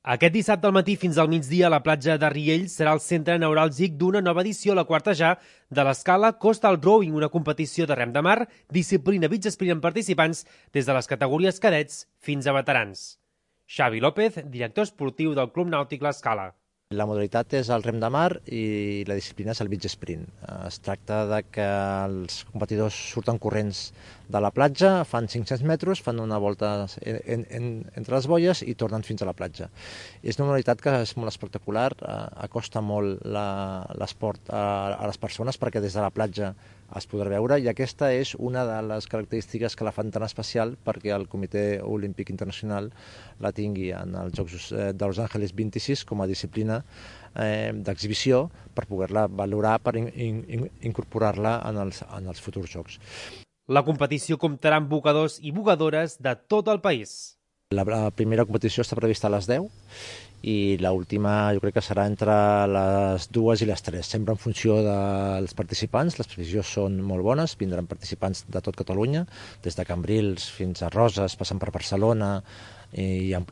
Aquest dissabte al matí fins al migdia la platja de Riells serà el centre neuràlgic d'una nova edició, la quarta ja, de l'escala Coastal Rowing, una competició de rem de mar, disciplina beach sprint amb participants des de les categories cadets fins a veterans. Xavi López, director esportiu del Club Nàutic L'Escala. La modalitat és el rem de mar i la disciplina és el beach sprint. Es tracta de que els competidors surten corrents de la platja, fan 500 metres, fan una volta entre les boies i tornen fins a la platja. És una modalitat que és molt espectacular, acosta molt l'esport a les persones perquè des de la platja es podrà veure, i aquesta és una de les característiques que la fan tan especial perquè el Comitè Olímpic Internacional la tingui en els Jocs de Los Angeles 26 com a disciplina d'exhibició per poder-la valorar, per incorporar-la en els futurs Jocs. La competició comptarà amb bucadors i bucadores de tot el país. La primera competició està prevista a les 10 i l'última jo crec que serà entre les 2 i les 3, sempre en funció dels participants. Les previsions són molt bones, vindran participants de tot Catalunya, des de Cambrils fins a Roses, passant per Barcelona i a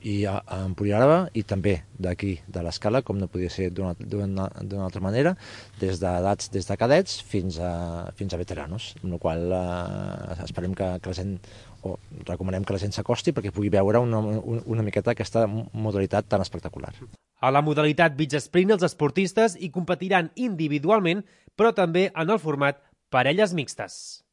Empuriaraba, i també d'aquí, de l'Escala, com no podia ser d'una altra manera, des d'edats, des de cadets fins a veteranos, amb la qual esperem que la gent, o recomanem que la gent s'acosti perquè pugui veure una miqueta aquesta modalitat tan espectacular. A la modalitat beach sprint els esportistes hi competiran individualment, però també en el format parelles mixtes.